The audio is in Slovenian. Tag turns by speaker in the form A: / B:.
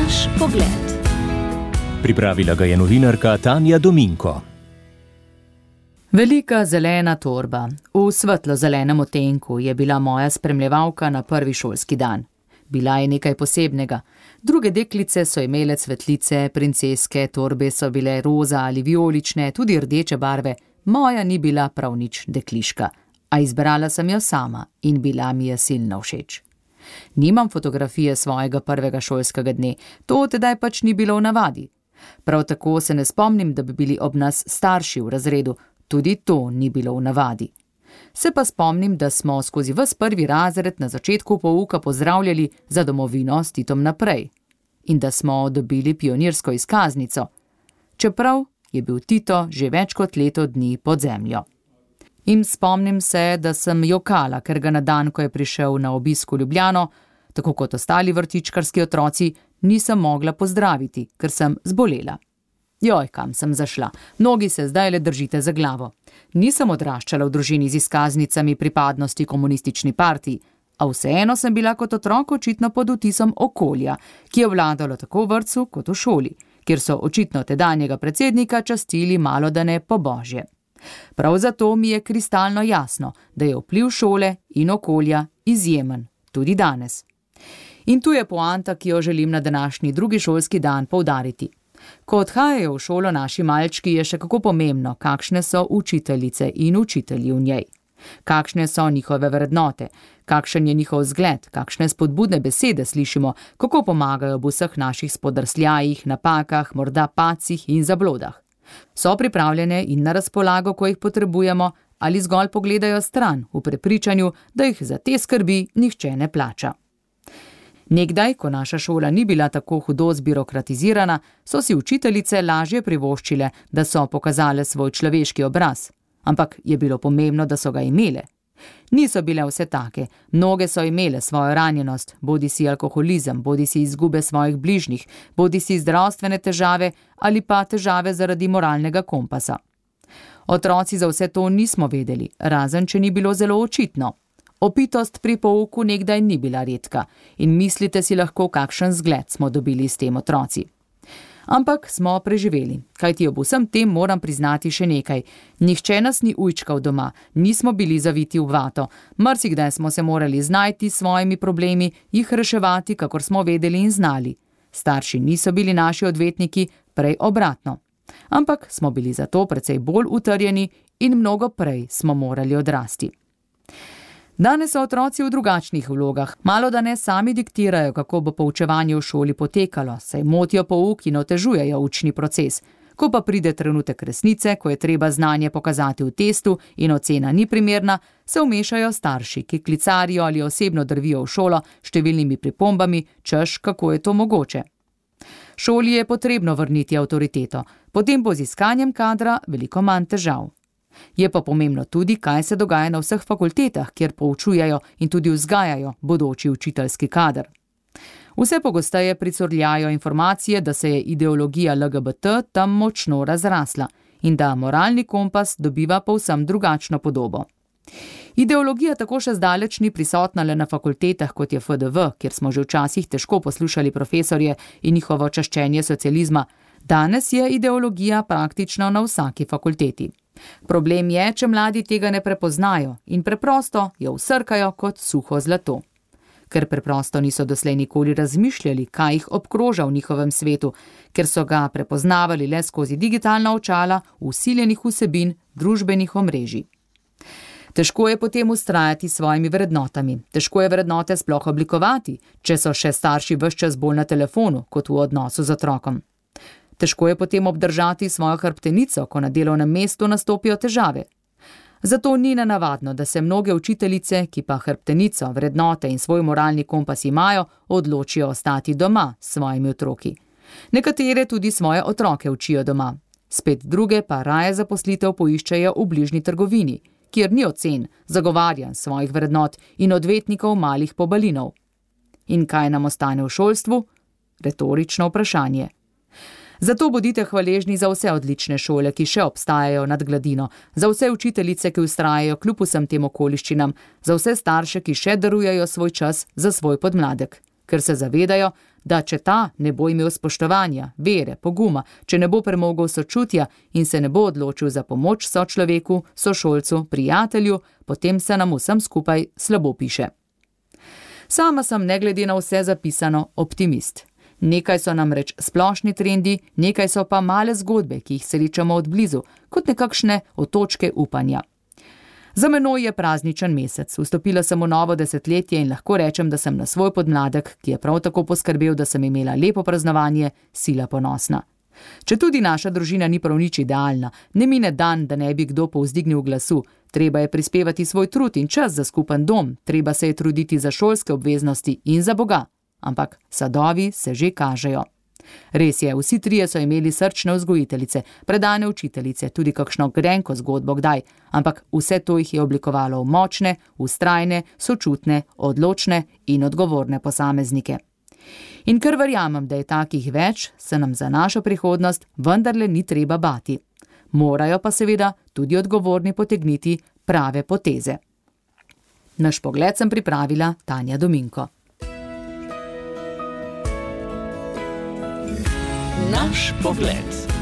A: Naš pogled.
B: Pripravila ga je novinarka Tanja Dominko.
C: Velika zelena torba v svetlo-zelenem odtenku je bila moja spremljevalka na prvi šolski dan. Bila je nekaj posebnega. Druge deklice so imele cvetlice, princeske, torbe so bile roza ali vijolične, tudi rdeče barve. Moja ni bila prav nič dekliška, a izbrala sem jo sama in bila mi je silno všeč. Nimam fotografije svojega prvega šolskega dne, to tedaj pač ni bilo v navadi. Prav tako se ne spomnim, da bi bili ob nas starši v razredu, tudi to ni bilo v navadi. Se pa spomnim, da smo skozi ves prvi razred na začetku pouka pozdravljali za domovino s Titom naprej in da smo dobili pionirsko izkaznico, čeprav je bil Tito že več kot leto dni pod zemljo. In spomnim se, da sem jokala, ker ga na dan, ko je prišel na obisk v Ljubljano, tako kot ostali vrtičkarski otroci, nisem mogla pozdraviti, ker sem zbolela. Joj, kam sem zašla, mnogi se zdaj le držite za glavo. Nisem odraščala v družini z izkaznicami pripadnosti komunistični partiji, a vseeno sem bila kot otrok očitno pod vtisom okolja, ki je vladalo tako v vrtcu kot v šoli, kjer so očitno tedanjega predsednika častili malodane po božje. Prav zato mi je kristalno jasno, da je vpliv šole in okolja izjemen, tudi danes. In tu je poanta, ki jo želim na današnji drugi šolski dan poudariti. Ko odhajajo v šolo naši malčki, je še kako pomembno, kakšne so učiteljice in učitelji v njej. Kakšne so njihove vrednote, kakšen je njihov zgled, kakšne spodbudne besede slišimo, kako pomagajo v vseh naših spodrsljajih, napakah, morda pacih in zablodah. So pripravljene in na razpolago, ko jih potrebujemo, ali zgolj pogledajo stran v prepričanju, da jih za te skrbi nihče ne plača. Nekdaj, ko naša šola ni bila tako hudo zbirokratizirana, so si učiteljice lažje privoščile, da so pokazale svoj človeški obraz. Ampak je bilo pomembno, da so ga imele. Niso bile vse take, mnoge so imele svojo ranjenost, bodisi alkoholizem, bodisi izgube svojih bližnjih, bodisi zdravstvene težave ali pa težave zaradi moralnega kompasa. Otroci za vse to nismo vedeli, razen če ni bilo zelo očitno. Opitost pri pouku nekdaj ni bila redka in mislite si lahko, kakšen zgled smo dobili s tem otroci. Ampak smo preživeli, kajti ob vsem tem moram priznati še nekaj. Nihče nas ni ujčkal doma, nismo bili zaviti v vato, marsikdaj smo se morali znajti s svojimi problemi, jih reševati, kakor smo vedeli in znali. Starši niso bili naši odvetniki, prej obratno. Ampak smo bili zato precej bolj utrjeni in mnogo prej smo morali odrasti. Danes so otroci v drugačnih vlogah, malodane sami diktirajo, kako bo poučevanje v šoli potekalo, saj motijo pouk in otežujejo učni proces. Ko pa pride trenutek resnice, ko je treba znanje pokazati v testu in ocena ni primerna, se vmešajo starši, ki klicarijo ali osebno drvijo v šolo s številnimi pripombami, češ kako je to mogoče. Šoli je potrebno vrniti avtoriteto, potem bo z iskanjem kadra veliko manj težav. Je pa pomembno tudi, kaj se dogaja na vseh fakultetah, kjer poučujejo in tudi vzgajajo bodoči učiteljski kader. Vse pogosteje pricurljajo informacije, da se je ideologija LGBT tam močno razrasla in da moralni kompas dobiva povsem drugačno podobo. Ideologija tako še zdaleč ni prisotna le na fakultetah, kot je FDV, kjer smo že včasih težko poslušali profesorje in njihovo čaščenje socializma. Danes je ideologija praktično na vsaki fakulteti. Problem je, če mladi tega ne prepoznajo in preprosto jo vsrkajo kot suho zlato. Ker preprosto niso doslej nikoli razmišljali, kaj jih obkroža v njihovem svetu, ker so ga prepoznavali le skozi digitalna očala vsiljenih vsebin družbenih omrežij. Težko je potem vztrajati s svojimi vrednotami. Težko je vrednote sploh oblikovati, če so še starši ves čas bolj na telefonu, kot v odnosu z otrokom. Težko je potem obdržati svojo hrbtenico, ko na delovnem mestu nastopijo težave. Zato ni nenavadno, da se mnoge učiteljice, ki pa hrbtenico, vrednote in svoj moralni kompas imajo, odločijo ostati doma s svojimi otroki. Nekatere tudi svoje otroke učijo doma. Spet druge pa raje zaposlitev poiščejo v bližnji trgovini, kjer ni ocen, zagovarjanj svojih vrednot in odvetnikov malih pobalinov. In kaj nam ostane v šolstvu? Retorično vprašanje. Zato bodite hvaležni za vse odlične šole, ki še obstajajo nad gladino, za vse učiteljice, ki vztrajajo kljub vsem tem okoliščinam, za vse starše, ki še darujejo svoj čas za svoj podmladek, ker se zavedajo, da če ta ne bo imel spoštovanja, vere, poguma, če ne bo premogel sočutja in se ne bo odločil za pomoč sočloveku, sošolcu, prijatelju, potem se nam vsem skupaj slabo piše. Sama sem ne glede na vse zapisano optimist. Nekaj so namreč splošni trendi, nekaj so pa male zgodbe, ki jih srečamo od blizu, kot nekakšne otočke upanja. Za menoj je prazničen mesec, vstopila sem v novo desetletje in lahko rečem, da sem na svoj podmladek, ki je prav tako poskrbel, da sem imela lepo praznovanje, sila ponosna. Četudi naša družina ni prav nič idealna, ne mine dan, da ne bi kdo povzdignil glasu, treba je prispevati svoj trud in čas za skupen dom, treba se je truditi za šolske obveznosti in za Boga. Ampak sadovi se že kažejo. Res je, vsi trije so imeli srčne vzgojiteljice, predane učiteljice, tudi kakšno grenko zgodbo kdaj, ampak vse to jih je oblikovalo v močne, vztrajne, sočutne, odločne in odgovorne posameznike. In ker verjamem, da je takih več, se nam za našo prihodnost vendarle ni treba bati. Morajo pa seveda tudi odgovorni potegniti prave poteze. Naš pogled sem pripravila Tanja Dominko.
B: Naš pogled.